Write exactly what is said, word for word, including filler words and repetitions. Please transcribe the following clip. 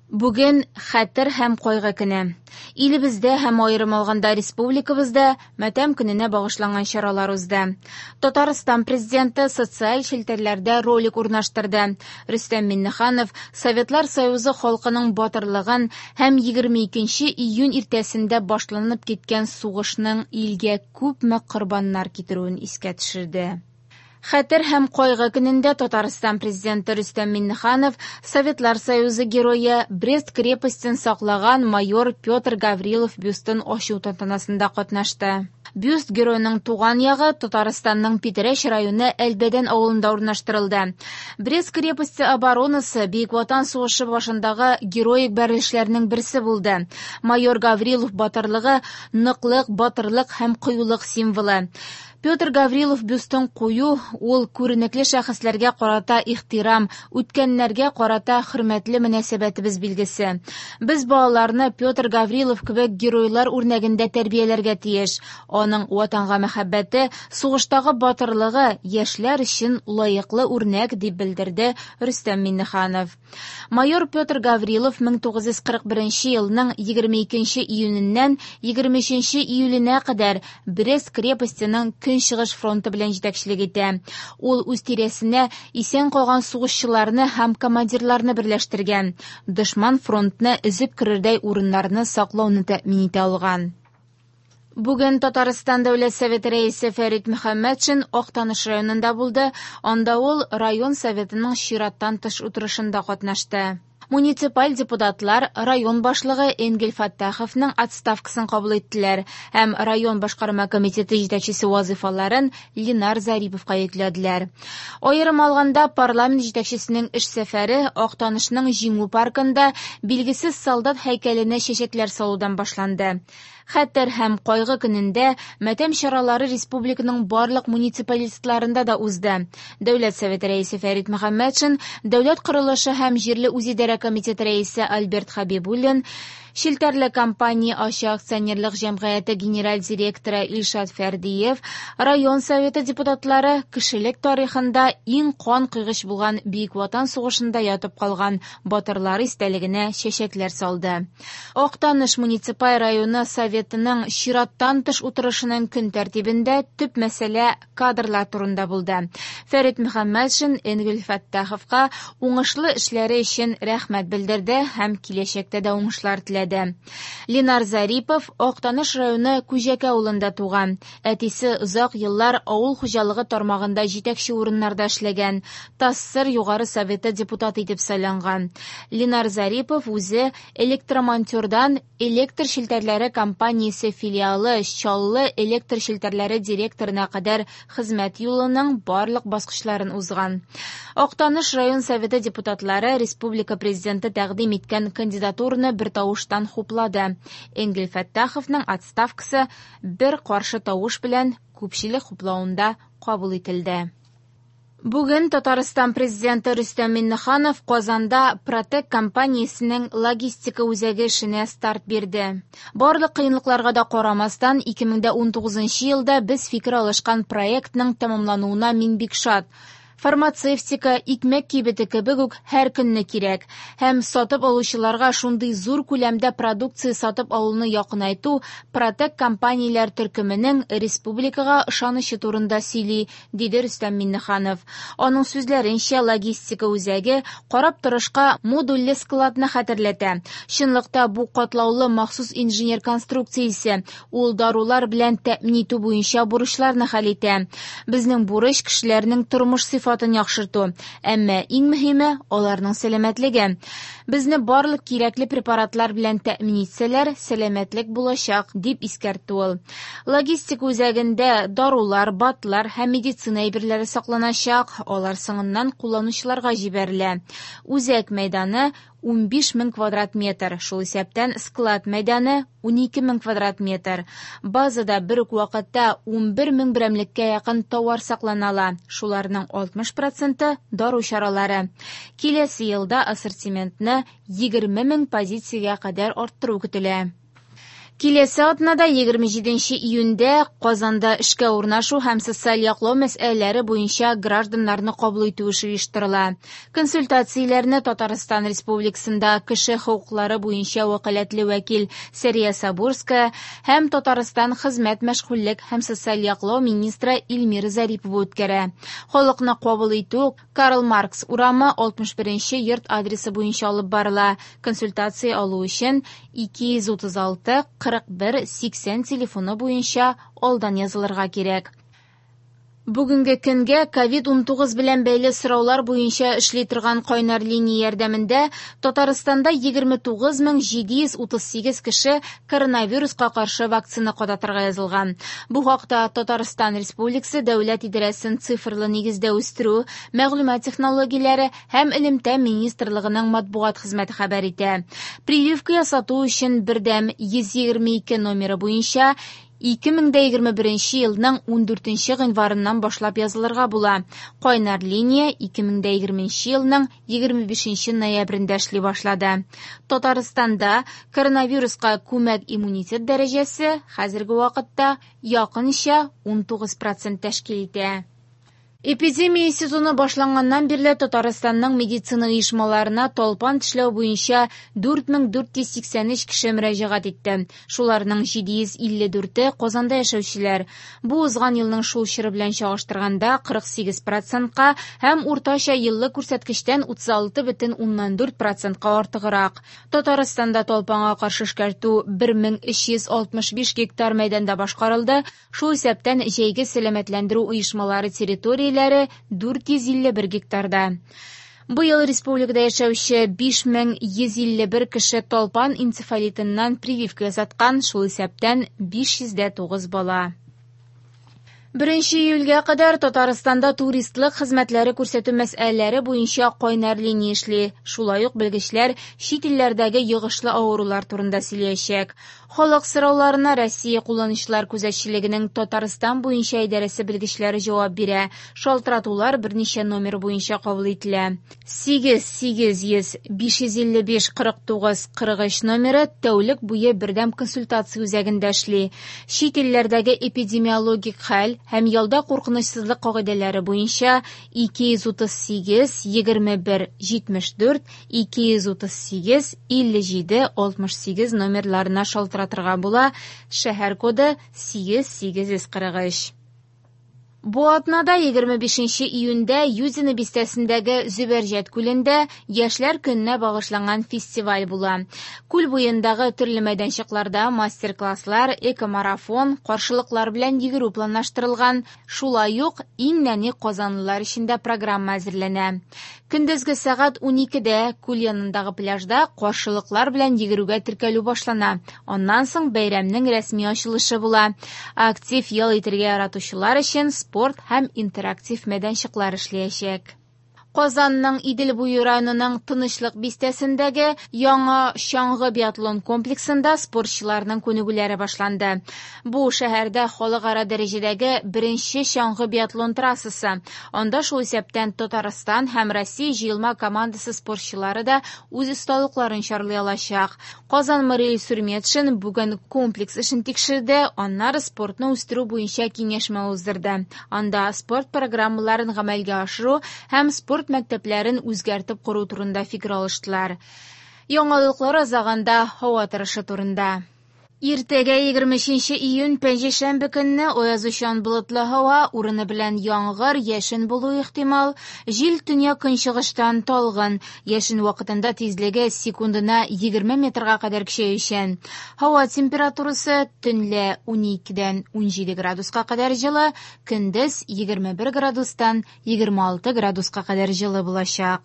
Бүген хәтер һәм кайгы көне. Илебездә һәм аерым алганда республикабызда матәм көненә багышланган чаралар узды. Татарстан президенты социаль челтәрләрдә ролик урнаштырды. Рөстәм Миңнеханов Советлар Союзы халкының батырлыгын һәм егерме икенче июнь иртәсендә башланып киткән сугышның илгә күпме корбаннар китерүен искә төшерде. Хәтер һәм кайгы көнендә Татарстан президенты Рөстәм Миңнеханов Советлар Союзы герое Брест крепостен саклаган майор Петр Гаврилов бюстын ачу тантанасында катнашты. Бюст геройның туган ягы Татарстанның Питрәч районы Әлбәдән авылында урнаштырылды. Брест крепосте оборонасы Бөек Ватан сугышы башындагы героик бәрелешләрнең берсе булды. Майор Гаврилов батырлыгы ныклык, батырлык һәм кыюлык символы. Петр Гаврилов бюстын кую ул күренекле шәхесләргә карата ихтирам, үткәннәргә карата хөрмәтле мөнәсәбәтебез билгесе. Без балаларны Петр Гаврилов кебек геройлар үрнәгендә тәрбияләргә тиеш. Аның ватанга мәхәббәте, сугыштагы батырлыгы яшьләр өчен лаеклы үрнәк, дип белдерде Рөстәм Миңнеханов. Майор Петр Гаврилов мең тугыз йөз кырык беренче елның егерме икенче июненнән егерме өченче июленә кадәр Брест крепостеның Көнчыгыш фронты белән җитәкчелек итә. Ул үз тирәсенә исән калган сугышчыларны һәм командирларны берләштергән. Дошман фронтны өзеп керердәй урыннарны саклауны тәэмин итә алган. Бүген Татарстан Дәүләт Советы рәисе Фәрит Мөхәммәтшин Актаныш районында булды. Анда ул район советының чираттан тыш утырышында катнашты. Муниципаль депутатлар район башлыгы Энгель Фәттаховның отставкасын кабул иттеләр һәм район башкарма комитеты җитәкчесе вазифаларын Ленар Зариповка йөкләделәр. Аерым алганда, парламент җитәкчесенең эш сәфәре Актанышның Җиңү паркында билгесез солдат һәйкәленә чәчәкләр салудан башланды. Хәтер һәм кайгы көнендә матәм чаралары республиканың барлык муниципалитетларында да узды. Дәүләт Советы рәисе Фәрит Мөхәммәтшин, Дәүләт корылышы һәм җирле үзидарә комитеты рәисе Альберт Хабибуллин, Челтәрле компания ачык акционерлык җәмгыяте генераль директоры Илшат Фәрдиев, район советы депутатлары кешелек тарихында иң кан кыйгыч булган Бөек Ватан сугышында ятып калган батырлар истәлегенә чәчәкләр салды. Актаныш муниципаль районы советының чираттан тыш утырышының көн тәртибендә төп мәсьәлә кадрлар турында булды. Фәрит Мөхәммәтшин Энгель Фәттаховка уңышлы эшләре өчен рәхмәт белдерде һәм киләчәктә дә уңышлар теләде. Ленар Зарипов Актаныш районы Күҗәкә авылында туган. Әтисе озак еллар авыл хуҗалыгы тармагында җитәкче урыннарда эшләгән. ТАССР Югары Советы депутаты итеп сайланган. Ленар Зарипов үзе электромонтердан электр челтәрләре компаниясе филиалы Чаллы электр челтәрләре директорына кадәр хезмәт юлының барлык баскычларын узган. Актаныш район советы депутатлары республика президенты тәкъдим иткән кандидатураны бер тавыштан хуплады. Энгель Фәттаховның отставкасы бер каршы тавыш белән күпчелек хуплавында кабул ителде. Бүген Татарстан президенты Рөстәм Миңнеханов Казанда Протек компаниясенең логистика үзәге эшенә старт бирде. Барлык кыенлыкларга да карамастан, ике мең дә унтугызынчы елда без фикер алышкан проектның тәмамлануына мин бик шат. Фармацевтика, икмәк кибете кебек үк һәр көнне кирәк. Һәм сатып алучыларга шундый зур күләмдә продукция сатып алуны якынайту Протек компанияләр төркеменең республикага ышанычы турында сөйли, диде Рөстәм Миңнеханов. Аның сүзләренчә, логистика үзәге карап торышка модульле складны хәтерләтә. Чынлыкта бу катлаулы махсус инженер конструкциясе, ул дарулар белән тәэмин итү буенча бурычларны хәл итә. Безнең бурыч кешеләрнең тормыш сыйфатын яхшырту, әмма иң мөһиме аларның сәламәтлеге. Безне барлык кирәкле препаратлар белән тәэмин итсәләр, сәламәтлек булачак, дип искәртте ул. Логистика үзәгендә дарулар, БАДлар һәм медицина әйберләре сакланачак, алар соңыннан кулланучыларга җибәрелә. Үзәк мәйданы унбиш мең квадрат метр, шул исәптән склад мәйданы унике мең квадрат метр. Базада бер үк вакытта унбер мең берәмлеккә якын товар саклана ала, шуларның алтмыш проценты дару чаралары. Киләсе елда ассортиментны егерме мең позициягә кадәр арттыру көтелә. Киләсе атнада егерме җиденче июньдә Казанда эшкә урнашу һәм социаль яклау мәсьәләләре буенча гражданнарны кабул итү эше оештырыла. Консультацияләрне Татарстан Республикасында кеше хокуклары буенча вәкаләтле вәкил Сәрия Сабурская һәм Татарстан хезмәт, мәшгульлек һәм социаль яклау министры Эльмира Зарипова үткәрә. Халыкны кабул итү Карл Маркс урамы алтмыш беренче йорт адресы буенча алып барыла. Консультация алу өчен ике йөз утыз алты кырык бер сиксән телефоны буенча алдан язылырга кирәк. Бүгенге көнгә ковид унтугыз белән бәйле сораулар буенча эшли торган кайнар линия ярдәмендә Татарстанда егерме тугыз мең җиде йөз утыз сигез кеше коронавируска каршы вакцина кадатырга язылган. Бу хакта Татарстан Республикасы Дәүләт идарәсен цифрлы нигездә үстерү, мәгълүмат технологияләре һәм элемтә министрлыгының матбугат хезмәте хәбәр итә. Прививка ясату өчен бердәм йөз егерме ике номеры буенча ике мең дә егерме беренче елның ундүртенче гыйнварыннан башлап язылырга була. Кайнар линия ике мең дә егерменче елның егерме бишенче ноябрендә эшли башлады. Татарстанда коронавируска күмәк иммунитет дәрәҗәсе хәзерге вакытта якынча унтугыз процент тәшкил итә. Эпидемия сезоны башланганнан бирле Татарстанның медицина оешмаларына талпан тешләү буенча дүрт мең дүрт йөз сиксән өч кеше мөрәҗәгать итте. Шуларның җиде йөз илле дүрте Казанда яшәүчеләр. Бу узган елның шул чоры белән чагыштырганда кырык сигез процентка һәм уртача еллык күрсәткечтән утыз алты бөтен уннан дүрт процентка артыграк. Татарстанда талпанга каршы эшкәртү бер мең өч йөз алтмыш биш гектар мәйданда башкарылды. Шул исәптән җәйге сәламәтләндерү оешмалары территорияләре дүрт йөз илле бер гектарда. Быел республикада яшәүче биш мең йөз илле бер кеше талпан энцефалитыннан прививка ясаткан, шул исәптән биш йөз дә тугыз бала. Беренче июльгә кадәр Татарстанда туристлык хезмәтләре күрсәтү мәсьәләләре буенча кайнар линия эшли. Шулай ук белгечләр чит илләрдәге йогышлы авырулар турында сөйләячәк. Халык сорауларына Россия кулланучылар күзәтчелегенең Татарстан буенча идарәсе белгечләре җавап бирә. Шалтыратулар берничә номер буенча кабул ителә. Сигез сигез йөз биш йөз илле биш кырык тугыз кырык өч номеры тәүлек буе бердәм консультация үзәгендә эшли. Чит илләрдәге эпидемиологик хәл һәм ялда куркынычсызлык кагыйдәләре буенча ике йөз утыз сигез егерме бер җитмеш дүрт ике йөз утыз сигез илле җиде алтмыш сигез номерларына шалтыратырга була. Шәһәр коды сигез сигез йөз кырык өч. Бу атнада егерме бишенче июньдә Юдино бистәсендәге Зөбәрҗәт күлендә Яшьләр көненә багышланган фестиваль була. Күл буендагы төрле мәйданчыкларда мастер-класслар, экомарафон, каршылыклар белән йөгерү планлаштырылган. Шулай ук иң нәни казанлылар өчен дә программа әзерләнә. Көндезге сәгать уникедә күл янындагы пляжда каршылыклар белән йөгерүгә теркәлү башлана. Аннан соң бәйрәмнең рәсми ачылышы була. Актив ял итәргә яратучылар өчен спорт һәм интерактив мәйданчыклар эшләячәк. Казанның Идел буе районының Тынычлык бистәсендәге яңа чаңгы биатлон комплексында спортчыларның күнегүләре башланды. Бу шәһәрдә халыкара дәрәҗәдәге беренче чаңгы биатлон трассасы. Анда шул исәптән Татарстан һәм Россия җыелма командасы спортчылары да үз осталыкларын чарлый алачак. Казан мэры Илсур Метшин бүген комплекс эшен тикшерде, аннары спортны үстерү буенча киңәшмә уздырды. Анда спорт программаларын гамәлгә ашыру һәм спорт мәктәпләрен үзгәртеп кору турында фикер алыштылар. Яңалыклар азагында һава торышы турында. Иртәгә егерме өченче июнь пәнҗешәмбе көнне аязучан болытлы һава, урыны белән яңгыр, яшен булу ихтимал. Җил төньяк көнчыгыштан талгын. Яшен вакытында тизлеге секундына егерме метрга кадәр көчәючән. Һава температурасы төнлә уникедән унҗиде градуска кадәр җылы, көндез егерме бер градустан егерме алты градуска кадәр җылы булачак.